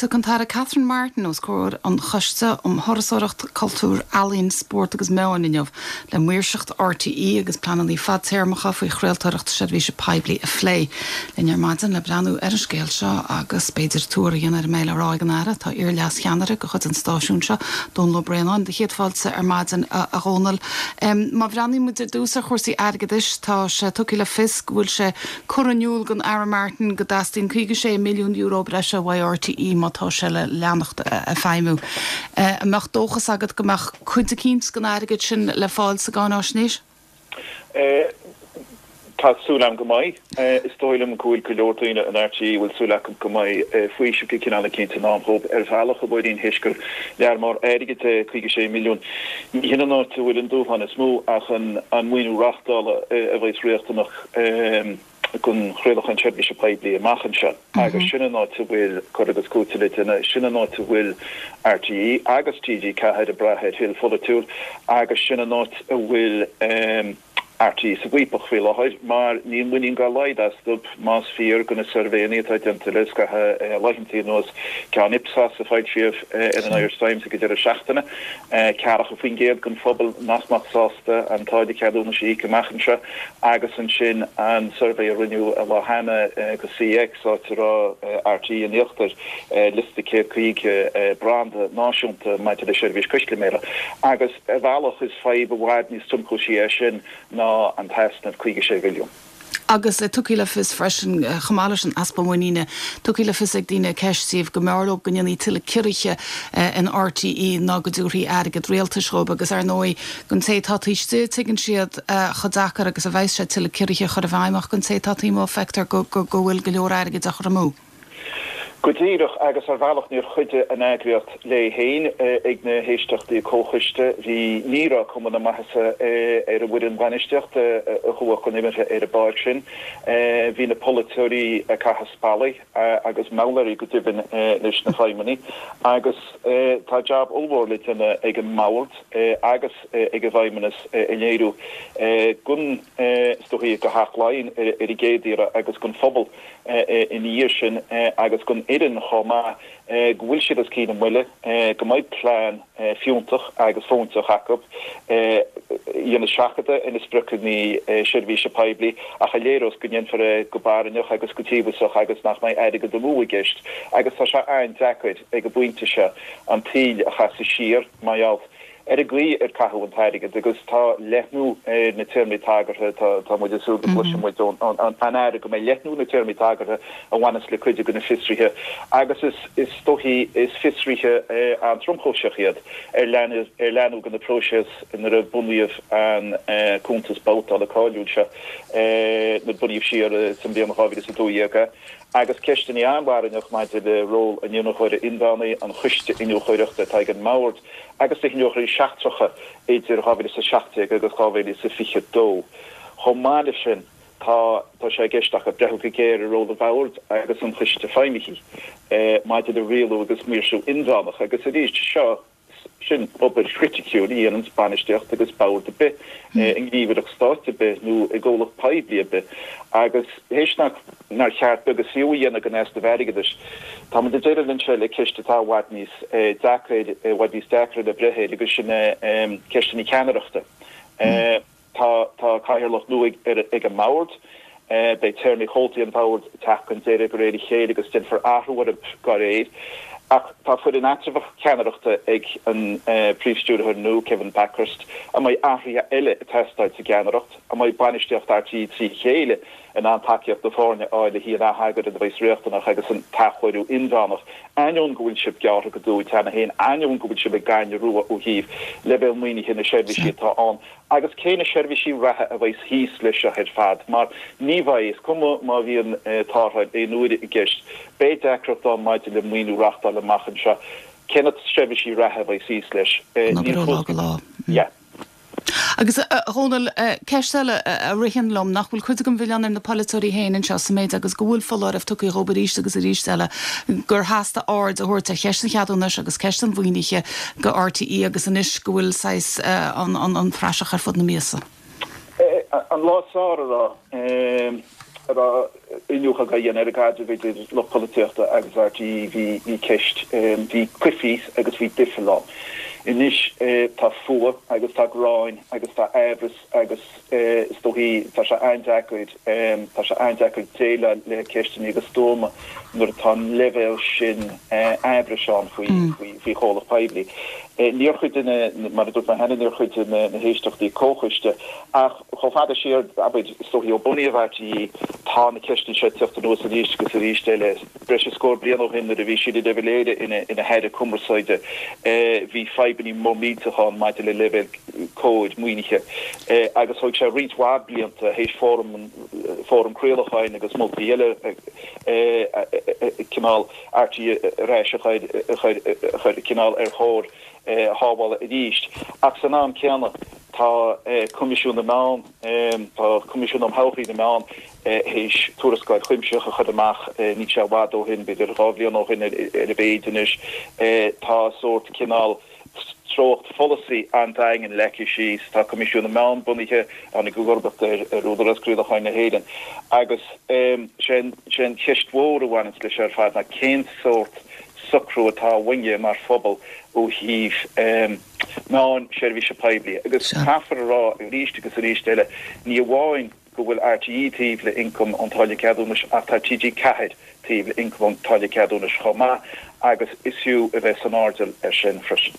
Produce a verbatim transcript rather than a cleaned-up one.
Tiocfaidh an tAire Catherine Martin os comhair an Choiste um Thurasóireacht, Cultúr, Ealaín, Spórt agus Meáin inniu le maoirseacht R T E agus pleananna fadtéarmacha faoi chraoltóireacht seirbhíse poiblí a phlé. Linn ar maidin le breathnú ar an scéal seo agus b'fhéidir tuar a dhéanamh ar a mbeidh le rá ag an Aire tá iar-leascheannaire de chuid an stáisiúin seo, Dónal Ó Braonáin, do chéad fáilte ar maidin a Dhónaill. Um, má bhreathnaíonn muid ar dtús ar chúrsaí airgeadais, tá sé tugtha le fios go bhfuil sé curtha in iúl don Aire Martin go dteastaíonn caoga sé milliún euro breise ó R T E má tá sé le leanacht ag feidhmiú. An mbeadh dóchas agat go mbeadh cuid eicínt den airgead sin le fáil sa gcáináisnéis? Tá súil agam go mbeidh. Is dóigh liom go bhfuil go leor daoine in R T E bhfuil súil acu go mbeidh faoiseamh de chineál eicínt i ndán dóibh ar bhealach a bhfuirín théis gur lear mór airgid é caoga sé milliún. Ní hin an áit a bhfuil an dúshlán is mó ach an an maoiniú reachtála a bheidh riachtanach don chraolachán seirbhíse poiblí amach anseo. Agus sin an áit a bhfuil cur agus cúiteamh le déanamh, sin an áit a bhfuil R T E agus T G ceathair ag brath ar thoil pholaitiúil agus sin an áit a bhfuil um, R T E sa bhfaopach faoi láthair mar níl muinín dá laghad astu más fíor do na suirbhéanna atá déanta le scaitheamh laethanta anuas, ceann Ipsos a foilsíodh ar an Irish Times ag deireadh seachtaine, ceathracha faoin gcéad den phobal nach mbeadh sásta an táille ceadúnais a íoc amach anseo agus ansin an suirbhé a rinneadh an lá cheana do C X áit a raibh R T E in íochtar liosta céad caoga branda náisiúnta maidir le seirbhís custaiméara. Agus ar bhealach is fadhb i bhfad níos tromchúisí é sin ná an t-easnamh caoga sé mhilliún. Agus tugtha le fios freisin chomh maith leis an easpa muiníne, tugtha le fios ag daoine ceistíodh go mb'fhearr leo go ndéanfaí tuilleadh ciorruithe in R T E ná go dtabharfaí airgead rialtais dhóibh agus ar ndóigh don té atá taobh istigh tuigeann siad chomh deacair agus a bheas sé tuilleadh ciorruithe a chur i bhfeidhm ach don té atá taobh amuigh feictear go bhfuil go leor airgid á chur amú. Go díreach, agus ar bhealach níor chuidigh an eagraíocht léi féin ag na héisteachtaí comhchoiste. Bhí ní raibh cuma na maitheasa ar an bhfoireann bainistíochta a chuaigh chun imeartha ar an bpáirc sin. Bhí na polaiteoirí ag caitheamh spallaí agus mallaí go deimhin leis na feidhmeannaigh agus tá jab ollmhór le déanamh ag an mbord agus ag an bhfeidhmeannas a léiriú gun stoí go haclainn ar an gcéad iarraidh agus don phobal ina dhiaidh sin agus don fhoireann chomh maith go bhfuil siad os cionn a mbuille, go mbeidh plean fiúntach agus fóinteach acu ina seachadadh ina spriocanna seirbhíse poiblí ach a léireos go ndéanfar é go barainneach agus go tíosach agus nach mbeidh airgead amú i gceist agus tá sé an-deacair ag an bpointe seo an tsaol a chasadh siar mar gheall ar an gcaoi ar caitheadh an t-airgead agus tá leathnú ar na téarmaí tagartha. Tá muid ag súil go gcloisfidh muid ón Aire go mbeidh leathnú na téarmaí tagartha a bhaineas le cuid de na fiosruithe agus is is dóichí is fiosruithe an-tromchúiseach iad ar leanadh ar leanadh den phróiseas nuair a bunaíodh an cuntas babhtála cáiliúil seo nuair bunaíodh siar sa bhliain dhá mhíle is a dó dhéag agus ceisteanna an-bharainneach maidir le ról an iniúchóra inmheánaigh, an choiste iniúchóireachta atá ag an mbord agus na hiniúchóirí seachtracha idir dhá mhíle is a seacht déag agus dhá mhíle is a fiche dó. Chomh maith leis sin tá tá sé i gceist acu breathnú go géar ar ról an bhoird agus an choiste feidhmithe maidir le rialú agus maoirsiú inmheánach agus arís seo sin obair chriticiúil a dhéanann bainistíocht agus bord ar bith i ngníomhaireacht stáit ar bith nó i gcomhlacht poiblí ar bith agus théis nach nár cheart beag is fiú a dhéanamh den easnamh airgeadais. Tá muid ag déileáil anseo le ceist atá i bhfad níos deacair i bhfad níos deacra le breith air agus sin ceisteanna ceannaireachta. Tá tá cathaoirleach nua ag an mbord, beidh téarmaí chomhaltaí an bhoird ag teacht chun deiridh de réir a chéile agus déanfar athrú orthu dá réir. Ach tá foireann eatramhach ceannaireachta ag an príomhstiúrthóir nua Kevin Bakhurst, an mbeidh athruithe eile ag teastáil sa gceannaireacht, an mbeidh bainistíocht R T E trí chéile in ann tacaíocht na foirne a fháil le haghaidh an atheagair a bheas riachtanach agus an t-athchóiriú inmheánach, ainneoin go bhfuil sibh gearrtha go dubh cheana féin, ainneoin go bhfuil sibh ag gainne rua ó thaobh leibhéal maoinithe na seirbhísí atá ann agus cé na seirbhísí reatha a bheas thíos leis seo ar fad, mar ní bheidh, is cuma má bhíonn tarrtháil aon uaire i gceist, beidh deacracht ann maidir le maoiniú reachtála amach anseo. Cé na seirbhísí reatha a bheas thíos leis? Níl fós go lá. Yeah. Agus a Dhónaill, ceist eile a ritheann liom, nach bhfuil cuid den mhilleán ar na polaiteoirí féin anseo sa méid agus go bhfuil foláireamh tugtha dhóibh arís agus arís eile gur theastaigh aird a thabhairt ar cheist an cheadúnais agus ceist an mhaoinithe do R T E agus anois go bhfuil saghas an, an, an praiseach ar fud na miasa? An lá is fearr a rá. a raibh iniúchadh á dhéanamh ar an gcaidreamh idir lucht polaitíochta agus RTÉ bhí bhí ceist bhí coimhthíos agus bhí doicheall ann. Anois tá fuath agus tá gráin agus tá aimhreas agus is dóichí tá sé an-deacair tá sé an-deacair déileáil le ceisteanna go stuama nuair atá an leibhéal sin aimhris ann faoi faoi faoi chomhlacht poiblí. Níor chuid de na mar a dúirt mé cheana níor chuid de na héisteachtaí comhchoiste ach chomh fada siar abair is dóichí ó bunaíodh RTÉ tá na ceisteanna seo ag teacht anuas arís agus arís eile. Breis is scór bliain ó shin nuair a bhí Síle de Valera ina ina haire cumarsáide bhí fadhbanna mór millteach ann maidir le leibhéal cóir maoinithe agus thóg sé roinnt mhaith blianta théis fóram fóram craolacháin agus moltaí eile cineál RTÉ ar ais a chur a chur a chur cineál ar chóir shábhála arís. Ach san am céanna tá Coimisiún na Meán tá Coimisiún um Thodhchaí na Meán théis tuarascáil chuimsitheach a chur amach níl sé i bhfad ó shin b'fhéidir dhá bhliain ó shin ar a mhéad anois tá sórt cineál treocht pholasaí an-daingean leagtha síos tá Coimisiún na Meán bunaithe an i gcomharbacht ar ar Údarás Craolacháin na hÉireann agus sin sin ceist mhór a bhaineann leis ar fad ná cén sórt socrú atá uainne mar phobal ó thaobh meáin seirbhíse poiblí agus caithfear a rá arís agus arís eile ní amháin go bhfuil RTÉ taobh le ioncam ón táille ceadúnais ach tá TG Ceathair taobh le ioncam ón táille ceadúnais chomh maith agus is fiú a bheith san airdeall ar sin freisin.